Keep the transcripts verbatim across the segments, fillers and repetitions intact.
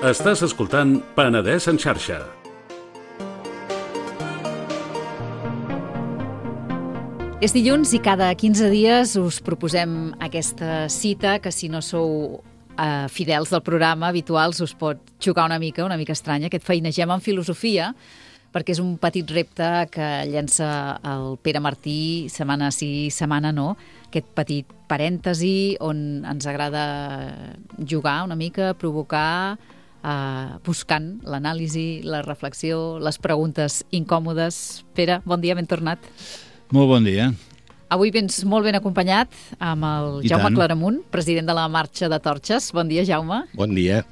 Estàs escoltant Penedès en xarxa. És dilluns i cada quinze dies us proposem aquesta cita que, si no sou eh, fidels del programa habituals, us pot xocar una mica, una mica estranya, aquest feinegem en filosofia, perquè és un petit repte que llença el Pere Martí setmana sí, setmana no, aquest petit parèntesi on ens agrada jugar una mica, provocar, eh, buscant l'anàlisi, la reflexió, les preguntes incòmodes. Pere, bon dia, ben tornat. Molt bon dia. Avui vens molt ben acompanyat amb el I Jaume tant. Claramunt, president de la Marxa de Torxes. Bon dia, Jaume. Bon dia.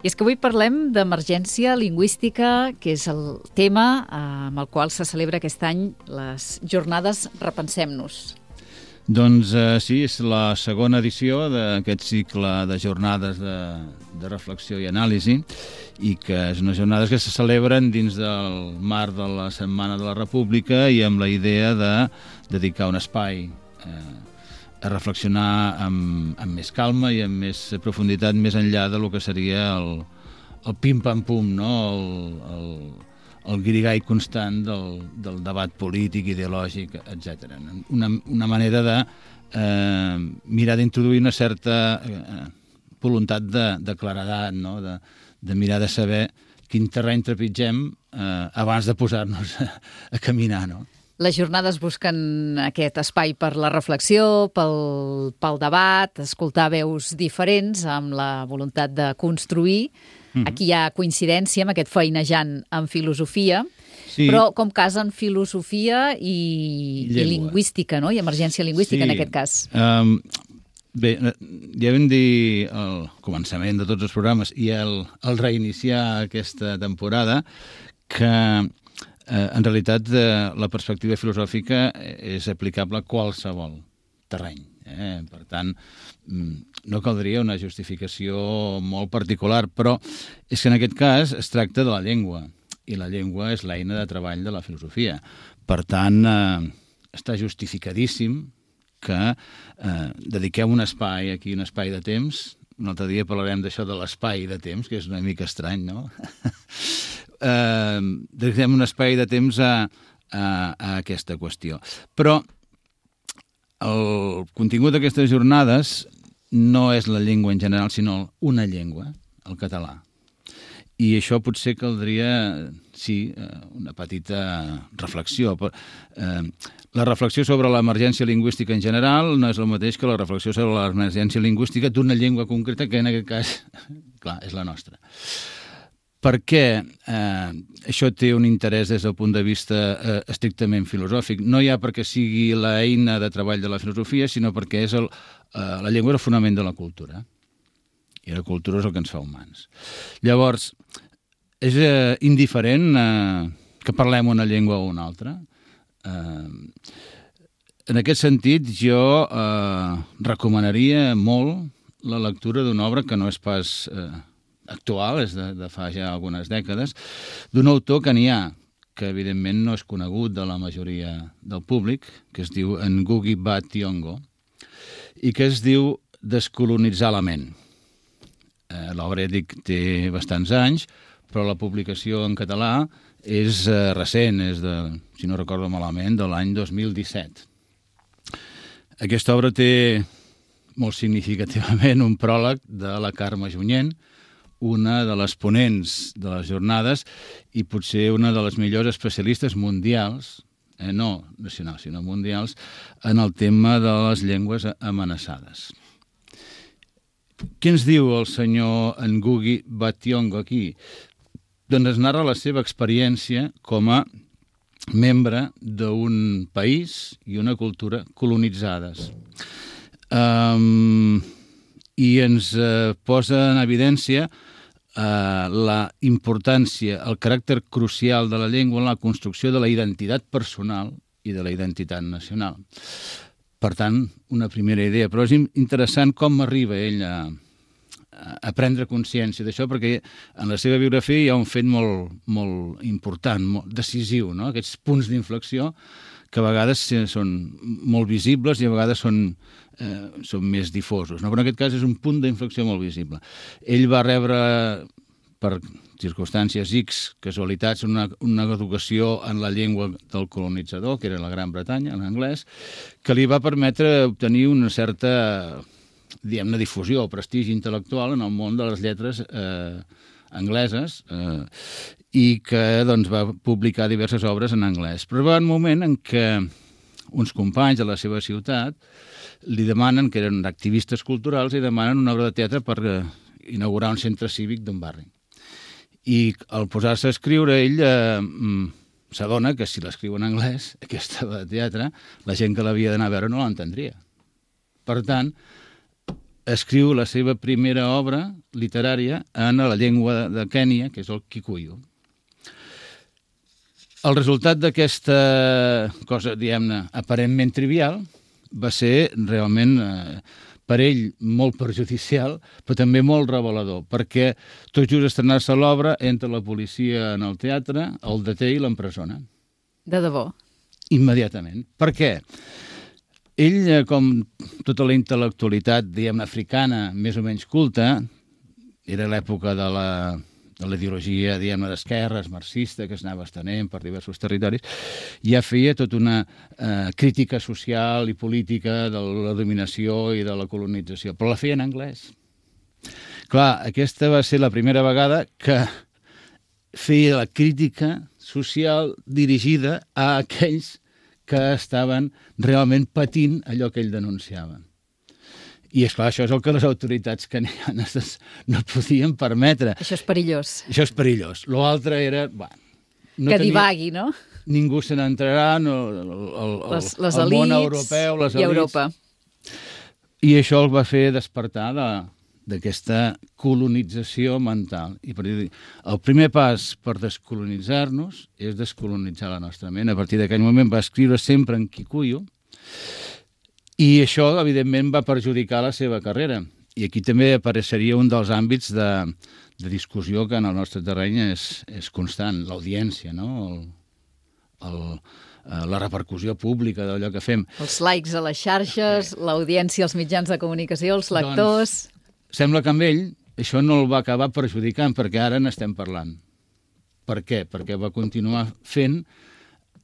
I és que avui parlem d'emergència lingüística, que és el tema eh, amb el qual se celebra aquest any les jornades Repensem-nos. Doncs eh, sí, és la segona edició d'aquest cicle de jornades de, de reflexió i anàlisi, i que és unes jornades que se celebren dins del marc de la Setmana de la República i amb la idea de dedicar un espai eh, a reflexionar amb, amb més calma i amb més profunditat, més enllà de lo que seria el, el pim-pam-pum, no? el, el, el guirigall constant del, del debat polític, ideològic, etcètera. Una, una manera de eh, mirar d'introduir una certa eh, voluntat de, de claredat, no? de, de mirar de saber quin terreny trepitgem eh, abans de posar-nos a, a caminar, no? Les jornades busquen aquest espai per la reflexió, pel, pel debat, escoltar veus diferents amb la voluntat de construir. Mm-hmm. Aquí hi ha coincidència amb aquest feinejant en filosofia, sí. Però com casen filosofia i, i lingüística, no? I emergència lingüística, sí. En aquest cas. Um, bé, ja vam dir al començament de tots els programes i el, el reiniciar aquesta temporada que Eh, en realitat, eh, la perspectiva filosòfica és aplicable a qualsevol terreny. Eh? Per tant, no caldria una justificació molt particular, però és que en aquest cas es tracta de la llengua, i la llengua és l'eina de treball de la filosofia. Per tant, eh, està justificadíssim que eh, dediquem un espai aquí, un espai de temps. Un altre dia parlarem d'això de l'espai de temps, que és una mica estrany, no? eh, dediquem un espai de temps a, a, a aquesta qüestió. Però el contingut d'aquestes jornades no és la llengua en general, sinó una llengua, el català. I això potser caldria, sí, una petita reflexió. Eh, la reflexió sobre l'emergència lingüística en general no és el mateix que la reflexió sobre l'emergència lingüística d'una llengua concreta, que en aquest cas, clar, és la nostra. Per què eh, això té un interès des del punt de vista eh, estrictament filosòfic? No ja perquè sigui l'eina de treball de la filosofia, sinó perquè és el, eh, la llengua és el fonament de la cultura. I la cultura és el que ens fa humans. Llavors, és eh, indiferent eh, que parlem una llengua o una altra. Eh, en aquest sentit, jo eh, recomanaria molt la lectura d'una obra que no és pas eh, actual, és de, de fa ja algunes dècades, d'un autor que n'hi ha, que evidentment no és conegut de la majoria del públic, que es diu Ngugi Wa Thiong'o, i que es diu Descolonitzar la ment. Eh, L'obra, ja dic, té bastants anys, però la publicació en català és eh, recent, és de, si no recordo malament, de l'any dos mil disset. Aquesta obra té molt significativament un pròleg de la Carme Junyent, una de les ponents de les jornades i potser una de les millors especialistes mundials, eh, no nacionals, sinó mundials, en el tema de les llengües amenaçades. Què ens diu el senyor Ngugi Wa Thiong'o aquí? Doncs es narra la seva experiència com a membre d'un país i una cultura colonitzades. Um, I ens uh, posa en evidència uh, la importància, el caràcter crucial de la llengua en la construcció de la identitat personal i de la identitat nacional. Per tant, una primera idea. Però és interessant com arriba ell a, a prendre consciència d'això, perquè en la seva biografia hi ha un fet molt, molt important, molt decisiu, no? Aquests punts d'inflexió que a vegades són molt visibles i a vegades són, eh, són més difosos, no? Però en aquest cas és un punt d'inflexió molt visible. Ell va rebre per circumstàncies X, casualitats, una, una educació en la llengua del colonitzador, que era la Gran Bretanya, en anglès, que li va permetre obtenir una certa, diguem-ne, difusió o prestigi intel·lectual en el món de les lletres eh, angleses eh, i que doncs, va publicar diverses obres en anglès. Però va un moment en què uns companys de la seva ciutat li demanen, que eren activistes culturals, i demanen una obra de teatre per eh, inaugurar un centre cívic d'un barri. I al posar-se a escriure, ell eh, s'adona que si l'escriu en anglès, aquesta obra de teatre, la gent que l'havia d'anar a veure no l'entendria. Per tant, escriu la seva primera obra literària en la llengua de Kènia, que és el Kikuyu. El resultat d'aquesta cosa, diguem-ne, aparentment trivial, va ser realment, eh, per ell, molt perjudicial, però també molt revelador, perquè tot just estrenar-se l'obra, entra la policia en el teatre, el deté i l'empresona. De debò? Immediatament. Per què? Ell, eh, com tota la intel·lectualitat, diguem-ne, africana, més o menys culta, era l'època de la... de la ideologia, diguem-ne, d'esquerres, marxista, que es anava estenent per diversos territoris, ja feia tota una eh, crítica social i política de la dominació i de la colonització, però la feia en anglès. Clar, aquesta va ser la primera vegada que feia la crítica social dirigida a aquells que estaven realment patint allò que ell denunciava. I, esclar, això és el que les autoritats kenianes no podien permetre. Això és perillós. Això és perillós. L'altre era... Bueno, no que divagui, no? Ningú se n'entrarà, no, el, el, les, les el món elites europeu, les i elites... Europa. I això el va fer despertar d'aquesta colonització mental. I per dir, el primer pas per descolonitzar-nos és descolonitzar la nostra ment. A partir d'aquell moment va escriure sempre en Kikuyu, i això, evidentment, va perjudicar la seva carrera. I aquí també apareixeria un dels àmbits de, de discussió que en el nostre terreny és, és constant, l'audiència, no? El, el, la repercussió pública d'allò que fem. Els likes a les xarxes, l'audiència als mitjans de comunicació, els lectors... Doncs, sembla que amb ell això no el va acabar perjudicant, perquè ara n'estem parlant. Per què? Perquè va continuar fent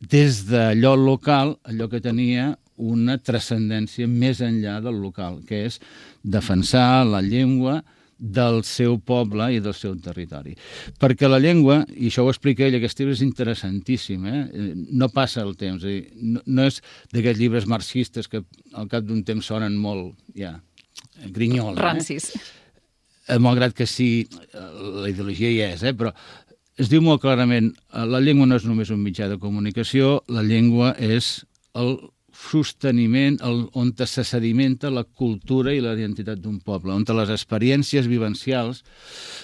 des d'allò local, allò que tenia una transcendència més enllà del local, que és defensar la llengua del seu poble i del seu territori. Perquè la llengua, i això ho explica ell, aquest llibre és interessantíssim, eh? No passa el temps, no, no és d'aquests llibres marxistes que al cap d'un temps sonen molt, ja, grinyol. Rancis. Eh? Malgrat que sí, la ideologia hi és, eh? Però es diu molt clarament, la llengua no és només un mitjà de comunicació, la llengua és el sosteniment, el, on se sedimenta la cultura i la identitat d'un poble, on les experiències vivencials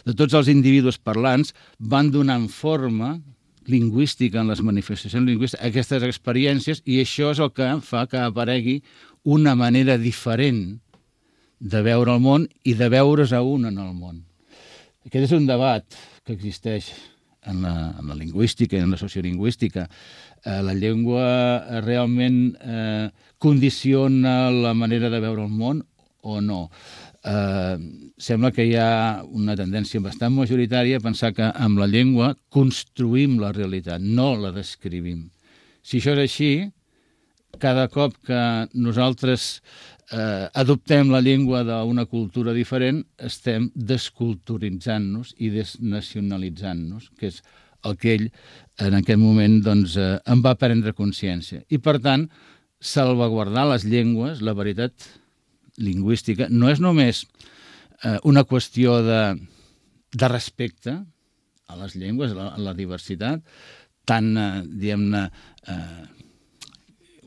de tots els individus parlants van donant forma lingüística en les manifestacions lingüístiques a aquestes experiències, i això és el que fa que aparegui una manera diferent de veure el món i de veure's a un en el món. Aquest és un debat que existeix en la, en la lingüística i en la sociolingüística. Eh, la llengua realment eh, condiciona la manera de veure el món o no? Eh, sembla que hi ha una tendència bastant majoritària a pensar que amb la llengua construïm la realitat, no la descrivim. Si això és així, cada cop que nosaltres eh, adoptem la llengua d'una cultura diferent, estem desculturitzant-nos i desnacionalitzant-nos, que és el que ell en aquest moment doncs, eh, en va prendre consciència. I, per tant, salvaguardar les llengües, la veritat lingüística, no és només eh, una qüestió de, de respecte a les llengües, a la, a la diversitat, tan, eh, diguem-ne, eh,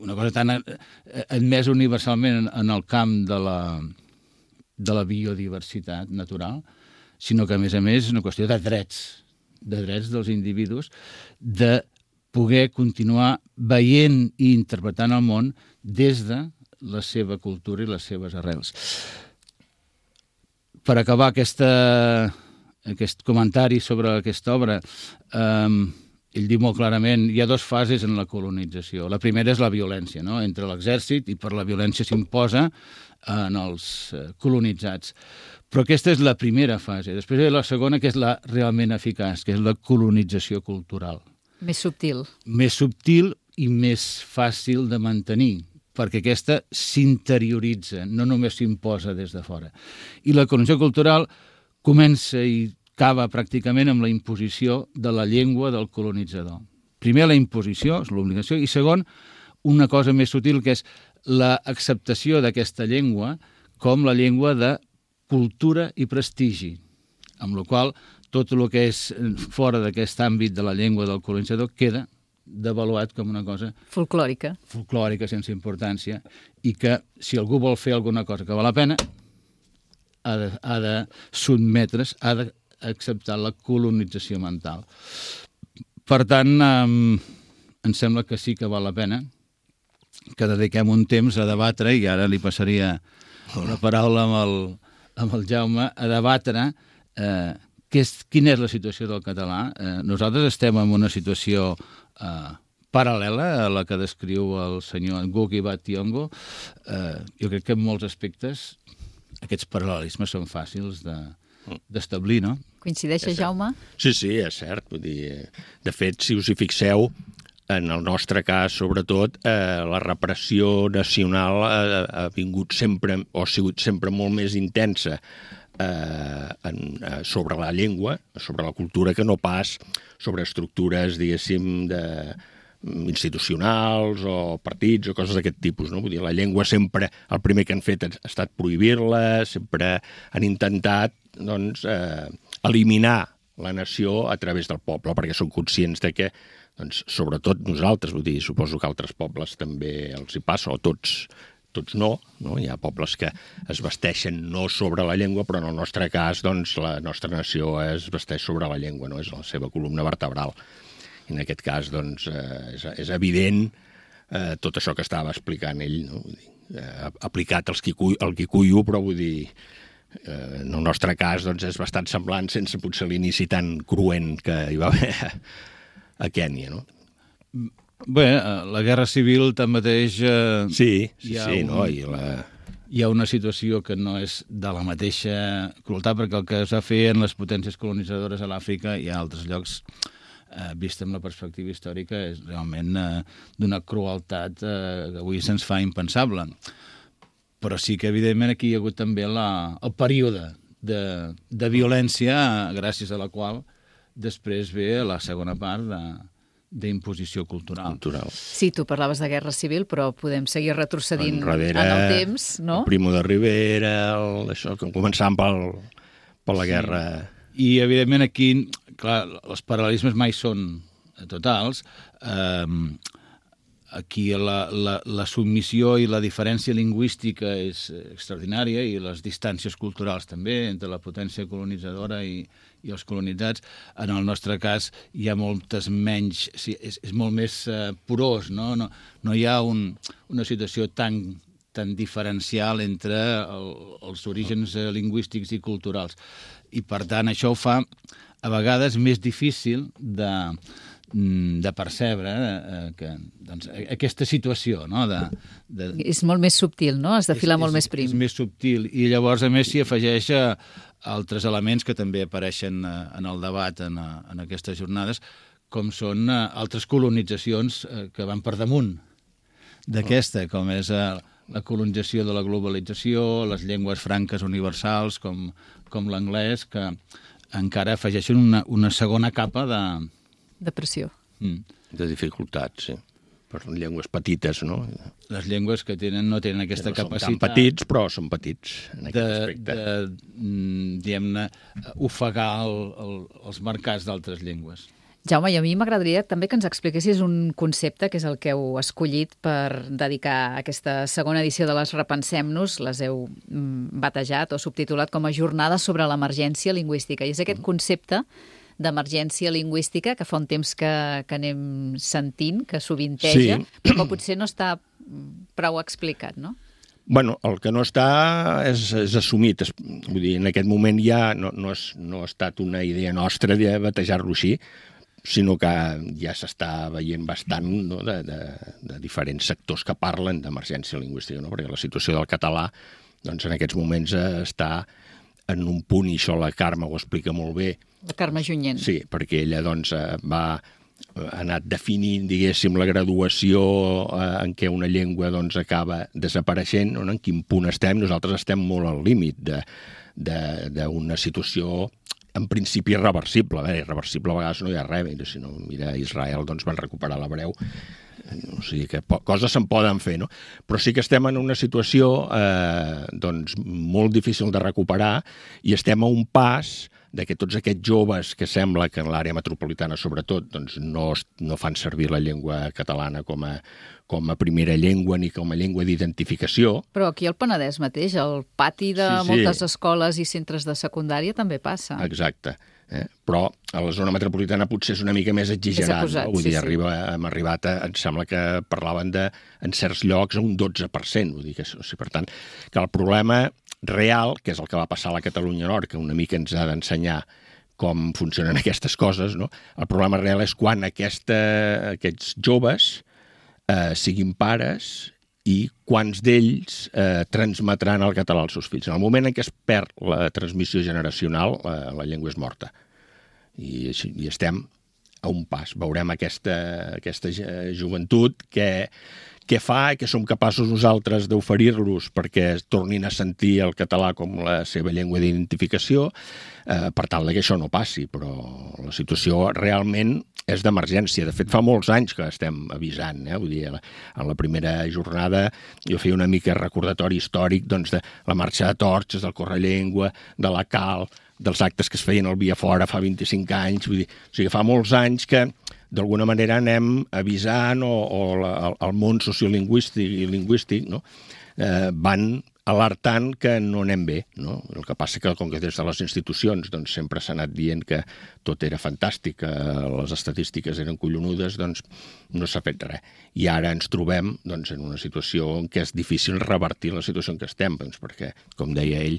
una cosa tan admesa universalment en, en el camp de la, de la biodiversitat natural, sinó que, a més a més, és una qüestió de drets, de drets dels individus, de poder continuar veient i interpretant el món des de la seva cultura i les seves arrels. Per acabar aquesta, aquest comentari sobre aquesta obra, eh, ell diu molt clarament, hi ha dues fases en la colonització. La primera és la violència, no?, entre l'exèrcit, i per la violència s'imposa en els colonitzats. Però aquesta és la primera fase. Després hi ha la segona, que és la realment eficaç, que és la colonització cultural. Més subtil. Més subtil i més fàcil de mantenir, perquè aquesta s'interioritza, no només s'imposa des de fora. I la colonització cultural comença i acaba pràcticament amb la imposició de la llengua del colonitzador. Primer, la imposició, és l'obligació, i segon, una cosa més sutil, que és l'acceptació d'aquesta llengua com la llengua de cultura i prestigi, amb la qual tot el que és fora d'aquest àmbit de la llengua del colonitzador queda devaluat com una cosa folclòrica, folclòrica sense importància, i que si algú vol fer alguna cosa que val la pena ha de, ha de sotmetre's, ha de acceptar la colonització mental. Per tant, eh, em sembla que sí que val la pena que dediquem un temps a debatre, i ara li passaria la paraula amb el, amb el Jaume, a debatre eh, que és, quina és la situació del català. Eh, nosaltres estem en una situació eh, paral·lela a la que descriu el senyor Ngugi wa Thiong'o. Eh, jo crec que en molts aspectes aquests paral·lelismes són fàcils de d'establir, no? Coincideixes, Jaume? Sí, sí, és cert. Vull dir, de fet, si us hi fixeu, en el nostre cas, sobretot, eh, la repressió nacional ha, ha vingut sempre, o ha sigut sempre molt més intensa eh, en, eh, sobre la llengua, sobre la cultura, que no pas sobre estructures, diguéssim, de institucionals o partits o coses d'aquest tipus, no? Vull dir, la llengua sempre, el primer que han fet ha estat prohibir-la, sempre han intentat, doncs, eh, eliminar la nació a través del poble, perquè són conscients de que, doncs, sobretot nosaltres, vull dir, suposo que altres pobles també els hi passa, o tots, tots no, no? Hi ha pobles que es vesteixen no sobre la llengua, però en el nostre cas, doncs, la nostra nació es vesteix sobre la llengua, no? És la seva columna vertebral. En aquest cas, doncs, eh, és, és evident eh, tot això que estava explicant ell, no? Vull dir, eh, aplicat als Kikuyu, al Kikuyu, però vull dir, eh, en el nostre cas, doncs, és bastant semblant, sense potser l'inici tan cruent que hi va haver a, a Kènia, no? Bé, la guerra civil, tanmateix... Eh, sí, sí, sí, un... no? I la... Hi ha una situació que no és de la mateixa crueltat, perquè el que es va fer en les potències colonitzadores a l'Àfrica i a altres llocs, eh, vist amb la perspectiva històrica, és realment eh, d'una crueltat eh, que avui se'ns fa impensable. Però sí que, evidentment, aquí hi ha hagut també la, el període de, de violència, gràcies a la qual després ve la segona part de d'imposició cultural. cultural. Sí, tu parlaves de guerra civil, però podem seguir retrocedint Enrere, en el temps, no? El Primo de Rivera, el, això, començant pel, per la guerra... Sí. I, evidentment, aquí, clar, els paral·lelismes mai són totals. Eh, aquí la, la, la submissió i la diferència lingüística és extraordinària, i les distàncies culturals també, entre la potència colonitzadora i, i els colonitzats. En el nostre cas hi ha moltes menys... Sí, és, és molt més uh, porós, no? No, no hi ha un, una situació tan, tan diferencial entre el, els orígens uh, lingüístics i culturals. I, per tant, això ho fa a vegades més difícil de, de percebre eh, que, doncs, aquesta situació, no? De, de... És molt més subtil, no? Has de filar molt més prim. És més subtil, i llavors, a més, s'hi afegeix a altres elements que també apareixen eh, en el debat en, en aquestes jornades, com són eh, altres colonitzacions eh, que van per damunt d'aquesta, com és eh, la colonització de la globalització, les llengües franques universals, com, com l'anglès, que encara afegeixen una, una segona capa de... De pressió. Mm. De dificultats, sí. Per llengües petites, no? Les llengües que tenen no tenen aquesta no capacitat... Són tan petits, però són petits en aquest de, aspecte. De, diguem-ne, ofegar el, el, els mercats d'altres llengües. Jaume, i a mi m'agradaria també que ens expliquessis un concepte, que és el que heu escollit per dedicar aquesta segona edició de les Repensem-nos, les heu batejat o subtitulat com a Jornada sobre l'emergència lingüística. I és aquest concepte d'emergència lingüística, que fa un temps que, que anem sentint, que sovinteja, sí, però que potser no està prou explicat, no? Bueno, el que no està és, és assumit. És, vull dir, en aquest moment ja no, no, és, no ha estat una idea nostra de batejar-lo així. sinó que ja s'està veient bastant, no?, de, de, de diferents sectors que parlen d'emergència lingüística, no? Perquè la situació del català doncs, en aquests moments està en un punt, i això la Carme ho explica molt bé. La Carme Junyent. Sí, perquè ella doncs, va ha anat definint, diguéssim, la graduació eh, en què una llengua doncs, acaba desapareixent, no? En quin punt estem. Nosaltres estem molt al límit d'una situació en principi irreversible. A veure, irreversible a vegades no hi ha res, si no, mira, Israel doncs, van recuperar l'hebreu, o sigui que coses se'n poden fer, no? Però sí que estem en una situació eh, doncs, molt difícil de recuperar i estem a un pas de que tots aquests joves que sembla que en l'àrea metropolitana sobretot doncs, no, no fan servir la llengua catalana com a, com a primera llengua ni com a llengua d'identificació. Però aquí al Penedès mateix, al pati de sí, sí. moltes escoles i centres de secundària també passa. Exacte. Eh? Però a la zona metropolitana potser és una mica més exagerat. Acusat, no? Vull sí, dir, sí. arriba, hem arribat a, em sembla que parlaven de, en certs llocs, a un dotze per cent. Vull dir que, o sigui, per tant, que el problema real, que és el que va passar a la Catalunya Nord, que una mica ens ha d'ensenyar com funcionen aquestes coses, no? El problema real és quan aquesta, aquests joves eh, siguin pares i quants d'ells eh, transmetran el català als seus fills. En el moment en què es perd la transmissió generacional, la, la llengua és morta. I, i estem a un pas. Veurem aquesta, aquesta joventut que, que fa que som capaços nosaltres d'oferir-los perquè tornin a sentir el català com la seva llengua d'identificació, eh, per tal que això no passi. Però la situació realment és d'emergència. De fet, fa molts anys que estem avisant. Eh? Vull dir, en la primera jornada jo feia una mica recordatori històric doncs, de la marxa de torxes, del Correllengua, de la Cal, dels actes que es feien al Via Fora fa vint-i-cinc anys. Vull dir, o sigui, fa molts anys que d'alguna manera anem avisant o, o la, el, el món sociolingüístic i lingüístic, no? eh, van alertant que no anem bé, no? El que passa que com que des de les institucions doncs, sempre s'ha anat dient que tot era fantàstic, que les estadístiques eren collonudes, doncs no s'ha fet res. I ara ens trobem doncs, en una situació en què és difícil revertir la situació en què estem, doncs, perquè, com deia ell,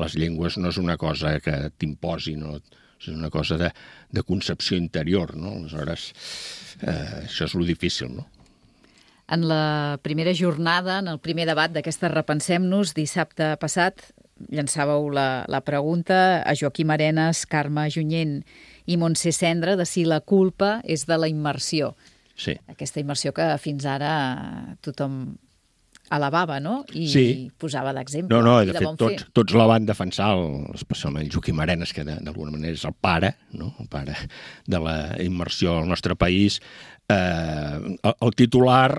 les llengües no és una cosa que t'imposi, no? És una cosa de, de concepció interior, no? Aleshores, eh, això és lo difícil, no? En la primera jornada, en el primer debat d'aquesta Repensem-nos, dissabte passat, llançàveu la, la pregunta a Joaquim Arenas, Carme Junyent i Montse Cendra de si la culpa és de la immersió. Sí. Aquesta immersió que fins ara tothom alabava, no? I sí. posava d'exemple. No, no, i de, de fet, tots, tots la van defensar, el, especialment Joaquim Arenas, que d'alguna manera és el pare, no? El pare de la immersió al nostre país. Eh, el, el titular,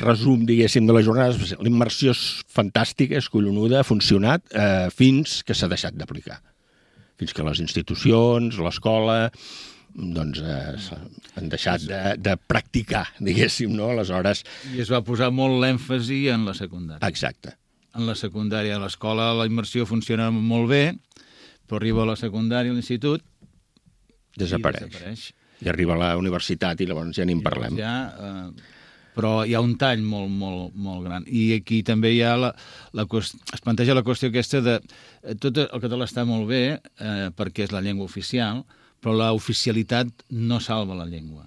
resum, diguéssim, de la jornada, l'immersió és fantàstica, és collonuda, ha funcionat, eh, fins que s'ha deixat d'aplicar. Fins que les institucions, l'escola, doncs eh, han deixat de, de practicar, diguéssim, no? Aleshores... I es va posar molt l'èmfasi en la secundària. Exacte. En la secundària, a l'escola la immersió funciona molt bé, però arriba a la secundària, a l'institut... Desapareix. I desapareix. I arriba a la universitat i llavors ja ni en parlem. Ja, eh, però hi ha un tall molt, molt, molt gran. I aquí també hi ha la, la qüestió, es planteja la qüestió aquesta de... Tot el català està molt bé eh, perquè és la llengua oficial, però la oficialitat no salva la llengua.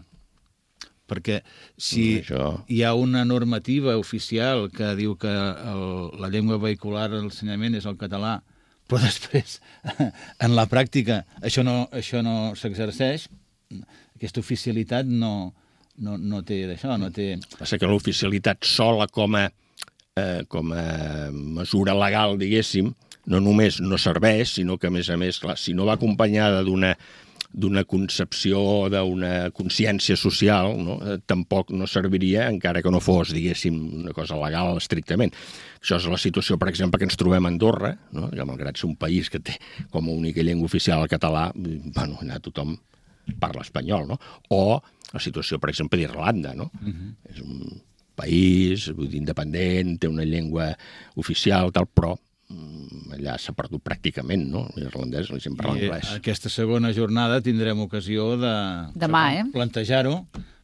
Perquè si Això... hi ha una normativa oficial que diu que el, la llengua vehicular a l'ensenyament és el català, però després, en la pràctica, això no, això no s'exerceix, aquesta oficialitat no, no, no té d'això, no té... Passa que l'oficialitat sola com a, eh, com a mesura legal, diguéssim, no només no serveix, sinó que, a més a més, clar, si no va acompanyada d'una d'una concepció, d'una consciència social, no? Eh, tampoc no serviria, encara que no fos, diguéssim, una cosa legal estrictament. Això és la situació, per exemple, que ens trobem a Andorra, no? Que malgrat ser un país que té com a única llengua oficial el català, bueno, allà tothom parla espanyol, no? O la situació, per exemple, d'Irlanda, no? Uh-huh. És un país, vull dir, independent, té una llengua oficial, tal, però allà s'ha perdut pràcticament, no? L'irlandès, la gent parla anglès. I aquesta segona jornada tindrem ocasió de Demà, eh? plantejar-ho,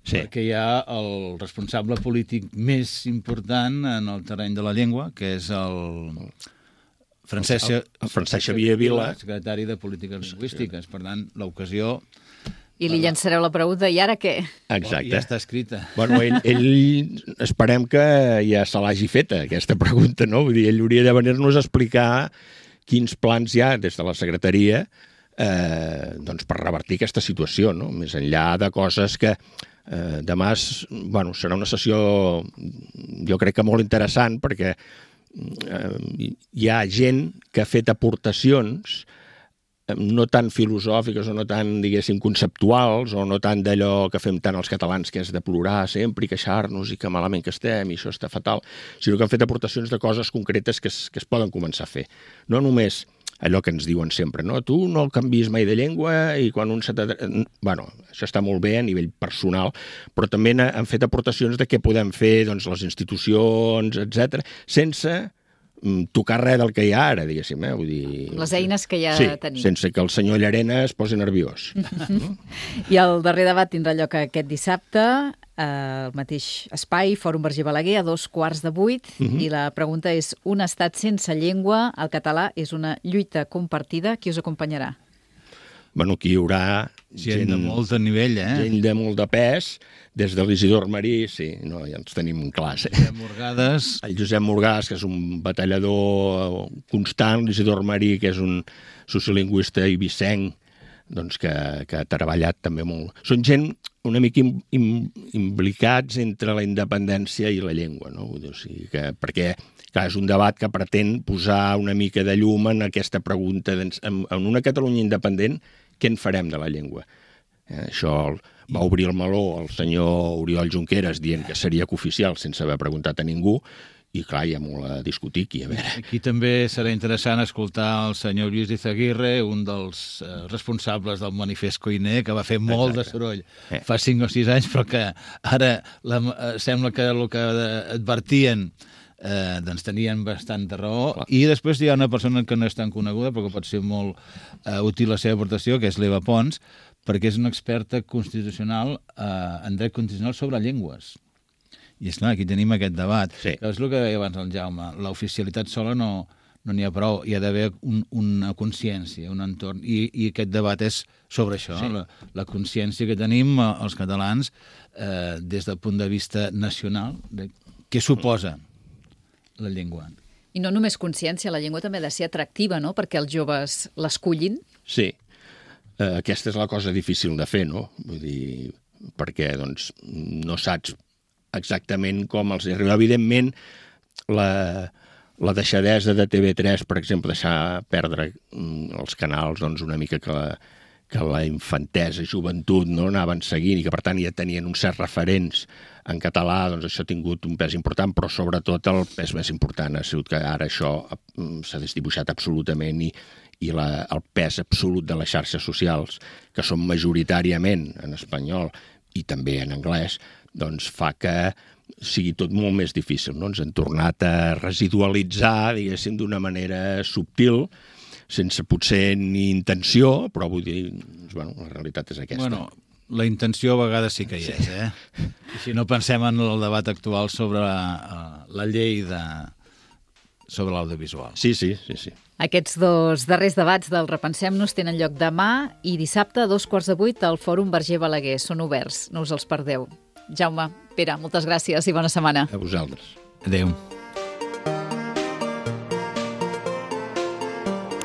sí. Perquè hi ha el responsable polític més important en el terreny de la llengua, que és el Francesc, el, el Francesc Xavier Vila, secretari de Polítiques Lingüístiques. Per tant, l'ocasió I li llançareu la pregunta, i ara què? Exacte. Ja està escrita. Bueno, ell, ell esperem que ja se l'hagi feta, aquesta pregunta, no? Vull dir, ell hauria de venir-nos a explicar quins plans hi ha des de la secretaria eh, doncs per revertir aquesta situació, no? Més enllà de coses que eh, demà és, bueno, serà una sessió jo crec que molt interessant perquè eh, hi ha gent que ha fet aportacions no tan filosòfiques o no tan, diguéssim, conceptuals o no tant d'allò que fem tant els catalans, que és de plorar sempre i queixar-nos i que malament que estem i això està fatal, sinó que han fet aportacions de coses concretes que es, que es poden començar a fer. No només allò que ens diuen sempre, no? Tu no canvis mai de llengua i quan un se... Bueno, això està molt bé a nivell personal, però també han fet aportacions de què podem fer doncs, les institucions, etcètera, sense tocar res del que hi ha ara, diguéssim. Eh? Vull dir... Les eines que ja sí, tenim. Sense que el senyor Llarena es posi nerviós. I el darrer debat tindrà lloc aquest dissabte, al mateix espai, Fòrum Verger Balaguer, a dos quarts de vuit, uh -huh. i la pregunta és: un estat sense llengua, el català és una lluita compartida, qui us acompanyarà? Bueno, aquí hi haurà gent, gent de molt de nivell, eh? Gent de molt de pes, des de l'Isidor Marí, sí, no, ja ens tenim clars. Eh? Josep Morgades. El Josep Morgades, que és un batallador constant, l'Isidor Marí, que és un sociolingüista ibicenc, doncs que, que ha treballat també molt. Són gent una mica im, im, implicats entre la independència i la llengua, no? O sigui que, perquè clar, és un debat que pretén posar una mica de llum en aquesta pregunta en, en una Catalunya independent, què en farem de la llengua? Eh, això va obrir el meló el senyor Oriol Junqueras dient que seria cooficial sense haver preguntat a ningú i clar, hi ha molt a discutir aquí, a veure. Aquí també serà interessant escoltar el senyor Lluís Izaguirre, un dels eh, responsables del manifest Koiné, que va fer molt Exacte. de soroll eh. fa cinc o sis anys, però que ara la, eh, sembla que el que advertien eh, doncs tenien bastanta raó. Clar. I després hi ha una persona que no és tan coneguda, però que pot ser molt eh, útil la seva aportació, que és l'Eva Pons, perquè és una experta constitucional eh, en dret constitucional sobre llengües. I és clar, aquí tenim aquest debat. Sí. És el que deia abans el Jaume, l'oficialitat sola no no n'hi ha prou, hi ha d'haver un, una consciència, un entorn, i, i aquest debat és sobre això, sí. la, la consciència que tenim els catalans eh, des del punt de vista nacional, de què suposa la llengua. I no només consciència, la llengua també ha de ser atractiva, no?, perquè els joves l'escullin. Sí, eh, aquesta és la cosa difícil de fer, no? Vull dir, perquè doncs, no saps exactament com els arriba. Evidentment, la, la deixadesa de T V tres, per exemple, deixar perdre els canals doncs, una mica que la, que la infantesa, joventut, no anaven seguint i que, per tant, ja tenien uns certs referents en català, doncs això ha tingut un pes important, però sobretot el pes més important ha sigut que ara això s'ha desdibuixat absolutament i, i la, el pes absolut de les xarxes socials, que són majoritàriament en espanyol i també en anglès, doncs fa que sigui tot molt més difícil. No? Ens hem tornat a residualitzar, diguéssim, d'una manera subtil, sense potser ni intenció, però vull dir, bueno, la realitat és aquesta. Bueno, la intenció a vegades sí que hi és, eh? I si no pensem en el debat actual sobre la, la llei de, sobre l'audiovisual. Sí, sí, sí, sí. Aquests dos darrers debats del Repensem-nos tenen lloc demà i dissabte a dos quarts de vuit al Fòrum Verger Balaguer. Són oberts, no us els perdeu. Jaume, Pere, moltes gràcies i bona setmana. A vosaltres. Adéu.